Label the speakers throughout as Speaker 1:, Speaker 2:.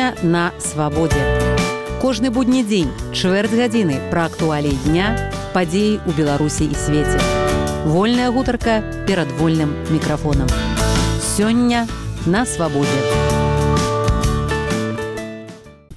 Speaker 1: Сёння на свабодзе. Кожны будні дзень, чвэрць гадзіны пра актуаліі дня, падзеі ў Беларусі і свеце. Вольная гутарка перад вольным мікрафонам. Сёння на свабодзе.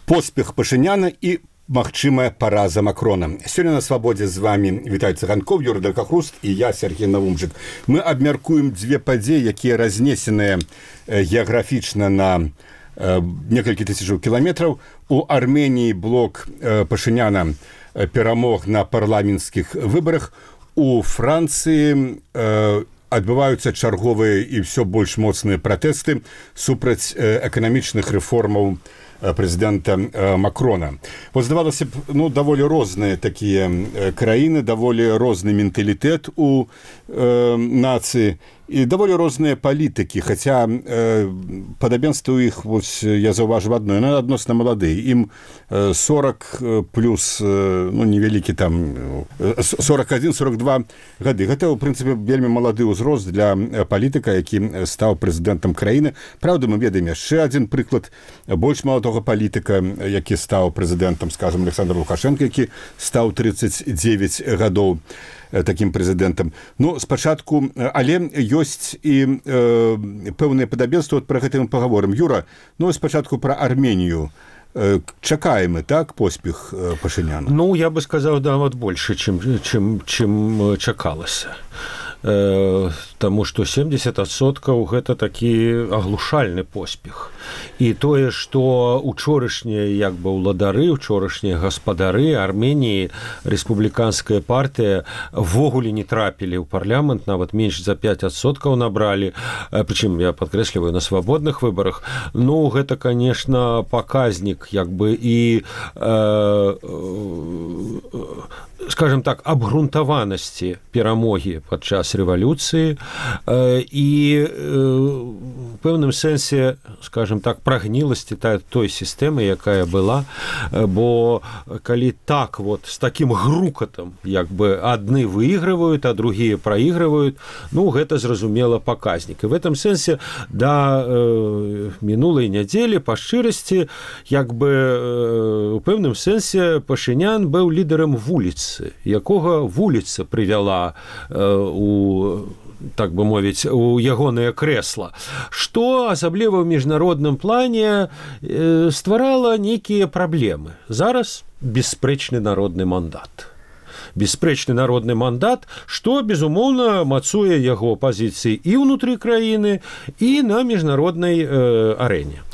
Speaker 2: Поспех Пашыняна і магчымая параза Макрона. Сёння на свабодзе з вами Віталь Цыганков, Юрый Далькахруст і я, Сергей Навумчык. Мы абмяркуем дзве падзеі, якія разнесеныя геаграфічна на некалькі тысячаў кіламетраў. У Арменіі блок Пашыняна перамог на парламенцкіх выбарах. У Францыі адбываюцца чарговыя і ўсё больш моцныя пратэсты супраць эканамічных рэформаў прэзідэнта Макрона. Вот здавалася б, даволі розныя такія краіны, даволі розны менталітэт у нацыі і даволі розныя палітыкі, хаця падабенства ў іх, я заўважыў адно, яны адносна маладыя. Ім 40 плюс, невялікі там, 41-42 гады. Гэта, ў прынцыпе, вельмі малады ўзрост для палітыка, які стаў прэзідэнтам краіны. Праўда, мы ведаем яшчэ адзін прыклад больш маладога палітыка, які стаў прэзідэнтам, скажам, Александр Лукашенко, які стаў 39 гадоў такім прэзідэнтам. Спачатку, але ёсць і пэўныя падабенства, пра гэта мы пагаворым. Юра, спачатку пра Арменію. Чакаем, так, поспех Пашыняна?
Speaker 3: Я бы сказаў, нават больше, чым чакалася. Таму што 70% гэта такі аглушальны поспех. І тое, што учорашнія ўладары, учорашнія гаспадары Арменіі, рэспубліканская партыя ввогуле не трапілі ў парламент, нават менш за 5% набралі, прычым я падкрэсліваю на свабодных выбарах. Гэта, конечно, паказнік і скажем так, абгрунтаванасці перамогі падчас рэвалюцыі і у пэўным сэнсе, скажем так, прагніласці той сістэмы, якая была, бо калі так з такім грукатам адны выйгрываюць, а другія праігрываюць, гэта зразумела паказнік. І в этом сэнсе да мінулай нядзелі па шчырасці у пэўным сэнсе Пашынян быў лідарам вуліцы, якога вуліца прывяла так бы мовіць, у ягонае крэсла, што асабліва ў міжнародным плане стварала нейкія праблемы. Зараз бясспрэчны народны мандат. Бясспрэчны народны мандат, што, безумоўна, мацуе яго пазіцыі і ўнутры краіны, і на міжнароднай арэне.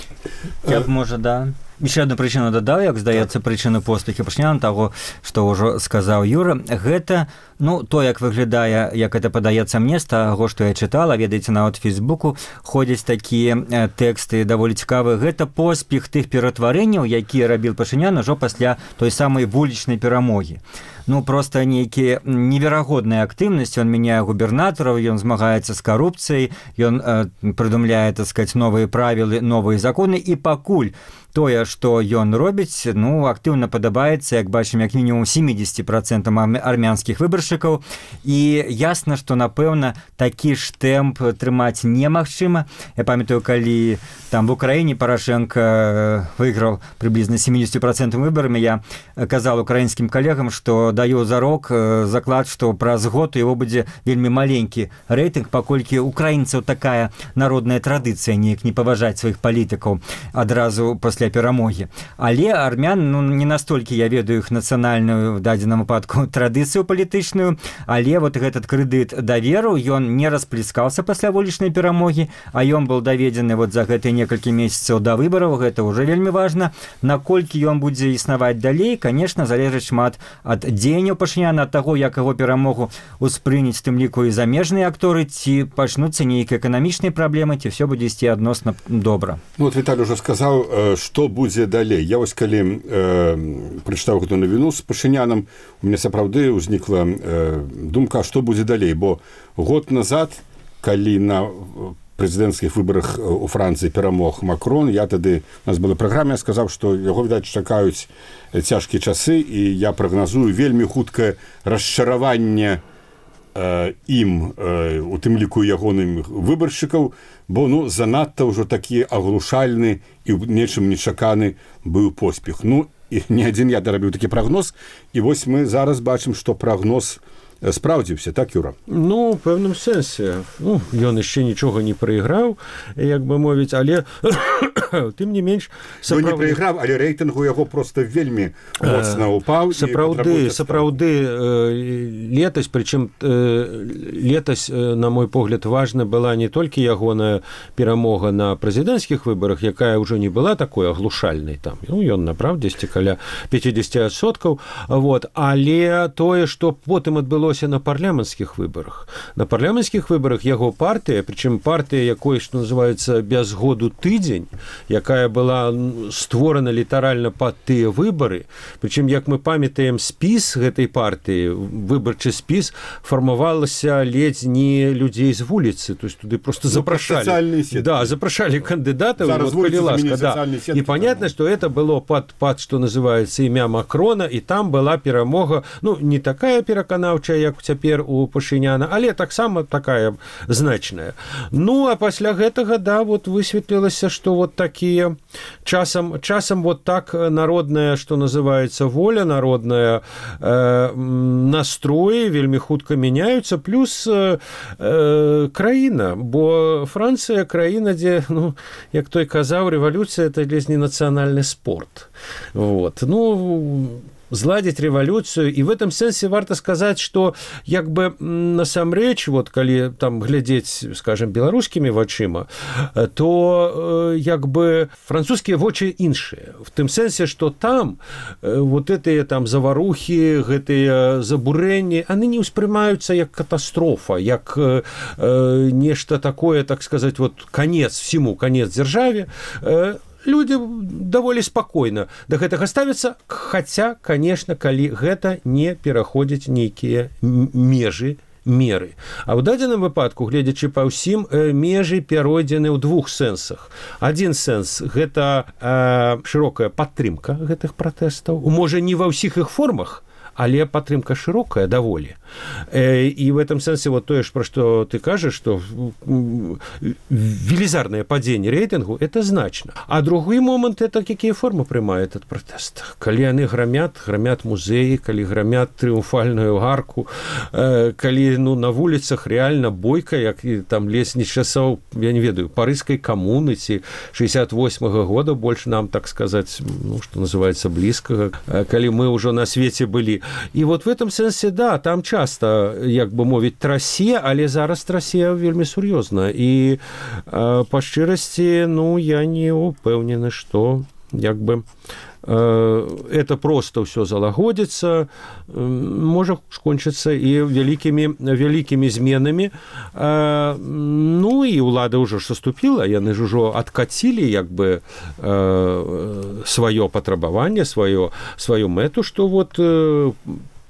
Speaker 4: Я б, еще одну прычыну дадаў, як здаецца, прычыну поспеху Пашыняна, таго, што ўжо сказаў Юра, гэта, то, як выглядае, як это падаецца мне, з таго, што я чытала, ведаеце, нават Фейсбуку ходзяць такія тэксты даволі цікавыя, гэта поспех тых ператварэнняў, якія рабіў Пашынян ужо пасля той самай вулічнай перамогі. Просто нейкія неверагодная актыўнасць, ён мяняе губернатараў, ён змагаецца з карупцыяй, ён прыдумляе, так сказаць, новыя правілы, новыя законы, і пакуль тое, што ён робіць, актыўна падабаецца, як бачым, як мінімум 70% армянскіх выбаршчыкаў, і ясна, што, напэўна, такі ж тэмп трымаць немагчыма. Я памятаю, калі там в Украіне Парашенко выйграў прыблізна 70% выбарамі, я казал украінскім калегам, што даю зарок, заклад, што праз год у яго будзе вельмі маленькі рэйтынг, паколькі украінцаў такая народная традыцыя неяк не паважаць сваіх палітыкаў адразу пасля перамогі. Але армян, не настолькі я ведаю іх нацыянальную в дадзеным выпадку традыцыю палітычную, але гэтэтот крэдыт даверу, ён не расплескаўся пасля вулічнай перамогі, а ён быў даведзены за гэтыя некалькі месяцаў да выбараў, гэта ўжо вельмі важна. Наколькі ён будзе існаваць далей, конечно, залежыць шмат ад дзеянняў Пашыняна, ад таго, як яго перамогу успрыняць, тым ліку і замежныя акторы, ці пачнуцца нейкія эканамічныя праблемы, ці все будзе ісці адносна добра.
Speaker 2: Віталь ужо сказаў, што будзе далей. Я калі прачытаў гэту навіну з Пашынянам, у мяне сапраўды ўзнікла думка, што будзе далей, бо год назад, калі на прэзідэнцкіх выбарах у Францыі перамог Макрон, я тады, у нас была праграма, я сказаў, што яго, відаць, чакаюць цяжкія часы, і я прагназую вельмі хуткае расчараванне ім, у тым ліку ягоным выбаршчыкаў, бо ну, занадта ўжо такі аглушальны і ў нечым нечаканы быў поспех. Ну, і не адзін я дарабіў такі прагноз, і вось мы зараз бачым, што прагноз спраўдзіўся, так, Юра?
Speaker 3: Ну, у пэўным сэнсе. Ну, ён яшчэ нічога не прайграў, як бы мовіць, але тым не менш...
Speaker 2: Ну, не прайграў, але рэйтынгу яго проста вельмі моцна ўпаў.
Speaker 3: Сапраўды, летась, прычым летась, на мой погляд, важна была не толькі ягоная перамога на прэзідэнцкіх выбарах, якая ўжо не была такой аглушальнай там. Ну, ён, направдзесьці, каля 50%, вот, але тое, што потым адбылося на парламенцкіх выбарах. На парламенцкіх выбарах яго партыя, прычым партыя, якой, што называецца, без году тыдзень, якая была створана літаральна пад тыя выбары, прычым, як мы памятаем, спіс гэтай партыі, выбарчы спіс, фармавалася ледзь не людзей з вуліцы, то есть туды просто запрашалі. Да, запрашалі кандыдатаў, вот, калі ласка, да. І понятно, што это было пад, што называецца, імя Макрона, і там была перамога, ну, не такая пераканаўчая, як цяпер у Пашыняна, але таксама такая значная. Ну, а пасля гэтага, да, вот высветлілася, што вот такія часам вот так народная, што называецца, воля народная, настроі вельмі хутка мяняюцца, плюс краіна, бо Францыя краіна, дзе, ну, як той казаў, рэвалюцыя это ледзь не нацыянальны спорт. Вот. Ну, зладзіць рэвалюцыю, і в этом сэнсе варта сказаць, што як бы насамрэч, вот калі там глядзець, скажем, беларускімі вачыма, то як бы французскія вочы іншыя. В тым сэнсе, што там вот гэтыя там заварухі, гэтыя забурэнні, яны не ўспрымаюцца як катастрофа, як нешта такое, так сказаць, вот конец всему, конец дзяржаве. Люди даволі спакойна да гэтага ставяцца, хаця, конечно, калі гэта не пераходзіць нейкія меры. А ў дадзеным выпадку, гледзячы па ўсім, межы перайдзены ў двух сэнсах. Адзін сэнс – гэта шырокая падтрымка гэтых пратэстаў. Можа, не ва ўсіх іх формах, але падтрымка шырокая даволі. І в этом сэнсе вот тое ж, пра што ты кажаш, што велізарнае падзенне рэйтынгу – это значна. А другі момант – это якія формы прымае этот пратэст. Калі яны грамят музеі, калі грамят трыумфальную арку, калі ну, на вуліцах рэальна бойка, як там лесні часоў, я не ведаю, парыжскай камуны ці 68-го года, больш нам, так сказаць, ну, што называецца, блізкага, калі мы ўжо на свеце былі. І вот в этом сэнсе, да, там часта, як бы мовіць, трасе, але зараз трасе вельмі сур'ёзна. І па шчырасці, ну, я не упэўнены, што як бы это просто ўсё залагодзіцца, можа скончыцца і вялікімі зменамі. Ну, і ўлада ўжо ж саступіла, яны ж ужо адкацілі як бы сваё патрабаванне, сваю мэту, што вот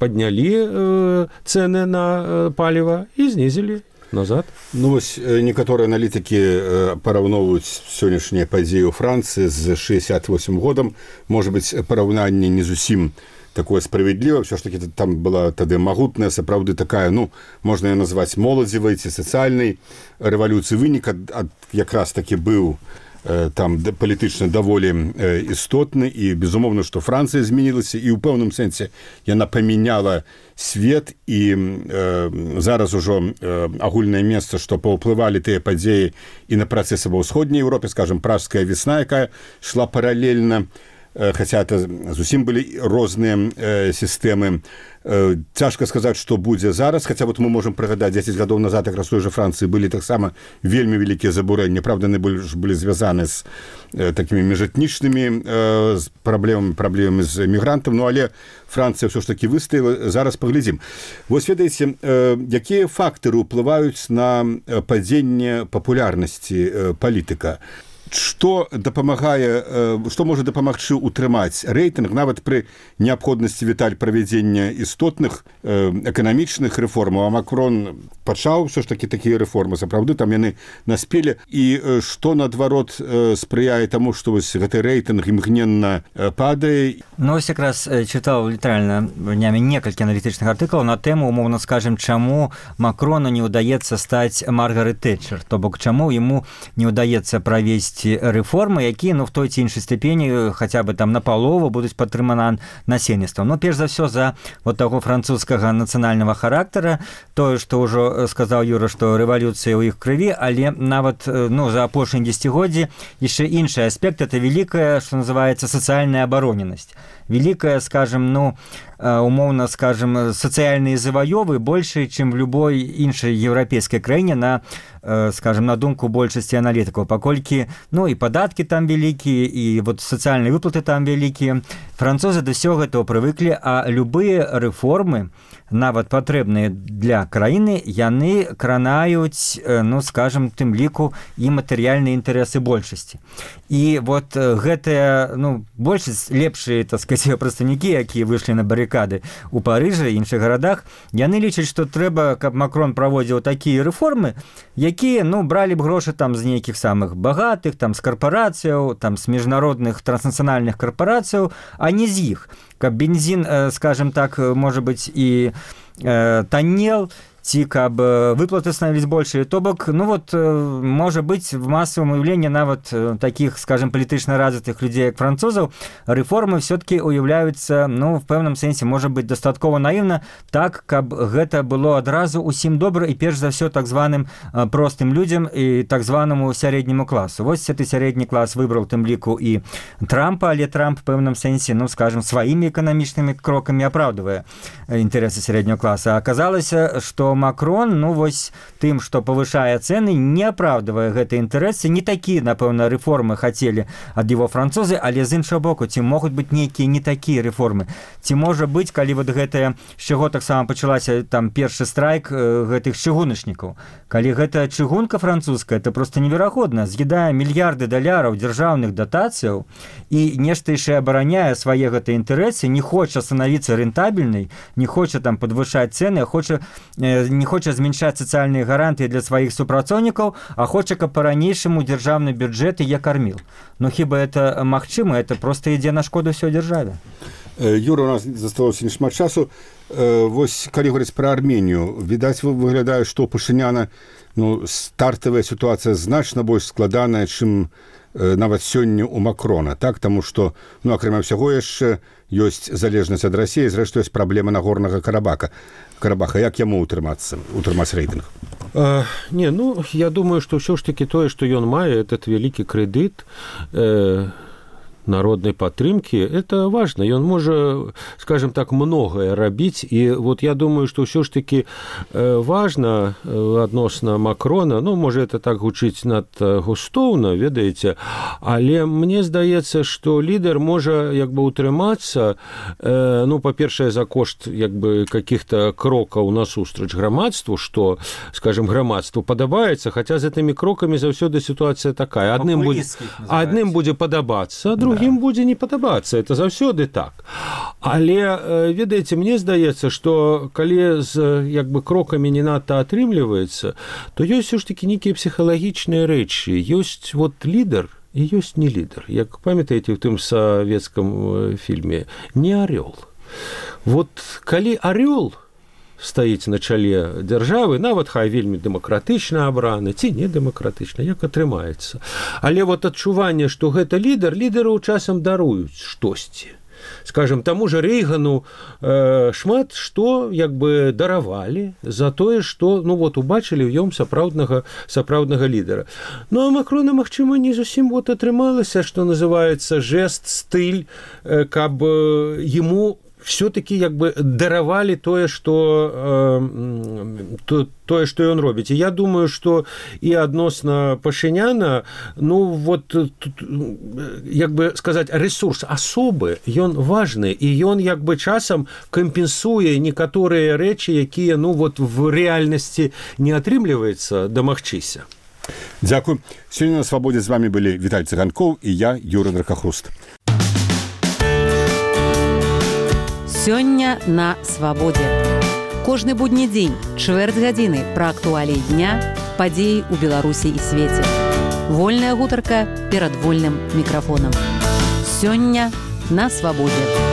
Speaker 3: паднялі цэны на паліва і знізілі назад.
Speaker 2: Ну, вось некаторыя аналітыкі параўноўваюць сённяшнія падзеі ў Францыі з 68 годам. Можа быць, параўнанне не зусім такое справядліва. Всё ж таки там была тады магутная, сапраўды такая, ну, можна яе назваць моладзевай ці сацыяльнай рэвалюцыі. Вынік якраз такі быў там палітычна даволі істотны, і безумоўна, што Францыя змянілася, і ў пэўным сэнсе яна памяняла свет, і зараз ужо агульнае месца, што паўплывалі тыя падзеі і на працэсы ва ўсходняй Еўропе, скажем, пражская весна, якая шла паралельна, хаця это зусім былі розныя сістэмы. Цяжка сказаць, што будзе зараз, хаця вот мы можам прыгадаць 10 гадоў назад, як раз той жа Францыі былі таксама вельмі вялікія забурэнні. Правда, яны былі звязаны з такімі міжэтнічнымі праблемамі з мігрантам, ну але Францыя ўсё ж такі выстаяла. Зараз паглядзім. Вось ведаеце, якія фактары ўплываюць на падзенне папулярнасці палітыка? што можа дапамагчы ўтрымаць рэйтынг нават пры неабходнасці, Віталь, правядзення істотных эканамічных рэформаў, а Макрон пачаў ўсё ж такі такія рэформы, сапраўды там яны наспелі, і што наадварот спрыяе таму, што вось гэты рэйтынг імгненна падае.
Speaker 4: Ну, ось якраз чытаў літаральна днямі некалькі аналітычных артыкулаў на тэму, умоўна скажем, чаму Макрону не ўдаецца стаць Маргарет Тэтчер, то бок чаму яму не ўдаецца правесці рэформы, якія, ну, в той ці іншай ступені хаця бы там напалову будуць падтрыманы насельніцтвам. Ну, перш за ўсё за вот таго французскага нацыянальнага характара, тое, што ўжо сказаў Юра, што рэвалюцыя ў іх крыві, але нават, ну, за апошнія дзесяцігоддзі яшчэ іншы аспект, это великая, што называецца, сацыяльная абароненасць. Великая, скажем, ну, умоўна, скажем, сацыяльныя заваёвы больше, чым в любой іншай еўрапейскай краіне на, скажем, на думку большасці аналітыкаў, паколькі, ну, і падаткі там вялікія, і вот сацыяльныя выплаты там вялікія. Французы да ўсё гэтага прывыклі, а любыя рэформы, нават патрэбныя для краіны, яны кранаюць, ну, скажем, тым ліку і матэрыяльныя інтарэсы большасці. І вот гэтыя, ну, большасць лепшыя, так сказать, прадстаўнікі, якія выйшлі на барыкады у Парыжы і іншых гарадах, яны лічаць, што трэба, каб Макрон праводзіў такія рэформы, якія, ну, бралі б грошы там з нейкіх самых багатых, там з карпорацыяў, там з міжнародных транснацыянальных карпорацыяў, а не з іх. Каб бензин, скажем так, может быть, и таннел, ці каб выплаты становились больше, то бок, ну вот, может быть, в массовом уявлении нават таких, скажем, палітычна развитых людей, як французаў, рэформы все-таки уяўляюцца, ну, в пэўным сэнсе, может быть, дастаткова наивна, так, каб гэта было адразу усім добра і перш за ўсё так званым простым людзям і так званаму сярэдняму класу. Вось гэты сярэдні клас выбраў тым ліку і Трампа, але Трамп в пэўным сэнсе, ну, скажем, сваімі эканамічнымі крокамі апраўдвае інтарэсы сярэдняга класа. А аказалася, што Макрон, ну, вось тым, што павышае цэны, не апраўдвае гэтыя інтарэсы. Не такія, напэўна, рэформы хацелі ад яго французы, але з іншага боку, ці могуць быць нейкія не такія рэформы? Ці можа быць, калі вот гэтая, з чаго таксама пачалася там першы страйк гэтых чыгуначнікаў, калі гэта чыгунка французская, это просто неверагодна, з'едае мільярды даляраў дзяржаўных датацыяў і нешта яшчэ абараняе свае гэтыя інтарэсы, не хоча становіцца рэнтабельнай, не хоча там падвышаць цэны, не хоча зменшаць сацыяльныя гарантыі для сваіх супрацоўнікаў, а хоча, каб па-ранейшаму дзяржаўны бюджэт я карміл. Ну, хіба это магчыма? Это просто ідзе на шкоду ўсёй дзяржаве.
Speaker 2: Юра, у нас засталося не шмат часу. Вось, калі говорыць пра Арменію, відаць, выглядае, што у Пашыняна, ну, стартавая сітуацыя значна больш складаная, чым нават сёння у Макрона, так? Таму што, ну, акрамя ўсяго яшчэ ёсць залежнасць ад Расіі, зрэшты, ёсць праблема Нагорнага Карабаха. Як яму ўтрымаць рэйтынг?
Speaker 3: Не, ну, я думаю, што ўсё ж такі тое, што ён мае, этот вялікі крэдыт народной падтрымкі, это важно. Ён можа, скажем так, многое рабіць. І вот я думаю, што ўсё ж такі важна адносна Макрона, ну, можа, это так гучыць над густоўна, ведаеце, але мне здаецца, што лідар можа як бы утрымацца, ну, па-першае, за кошт як бы каких-то крокаў насустрач грамадству, што, скажем, грамадству падабаецца, хаця з гэтымі крокамі заўсёды сітуацыя такая. Адным будзе падабацца, другім будзе не падабацца, это заўсёды так. Але, ведаеце, мне здаецца, што калі з як бы крокамі не надта атрымліваецца, то ёсць ж такі нейкія псіхалагічныя рэчы. Ёсць вот лідар і ёсць не лідар. Як памятаеце ў тым савецкам фільме «Не арёл». Вот калі арёл стаіць на чале дзяржавы, нават хай вельмі дэмакратычна абраны, ці не дэмакратычна, як атрымаецца. Але вот адчуванне, што гэта лідару часам даруюць штосьці. Скажем, таму же Рейгану шмат што як бы даравалі за тое, што, ну, вот убачылі ў ём сапраўднага лідара. Ну, а Макрона, магчыма, не зусім вот атрымалася, што называецца жест, стыль, каб яму все-таки як бы даравалі тое, што ён робіць. І я думаю, што і адносна Пашыняна, ну, вот, як бы сказаць, ресурс асобы, ён важны, і ён як бы часам кампенсуе некаторыя рэчы, якія, ну, вот, в рэальнасці не атрымліваецца дамагчыся.
Speaker 2: Дзякуй. Сёння на свабодзе з вами былі Віталь Цыганкоў і я, Юра Дракахруст.
Speaker 1: Сёння на свабодзе. Кожны будні дзень, чвэрць гадзіны пра актуаліі дня, падзеі ў Беларусі і свеце. Вольная гутарка перад вольным мікрафонам. Сёння на свабодзе.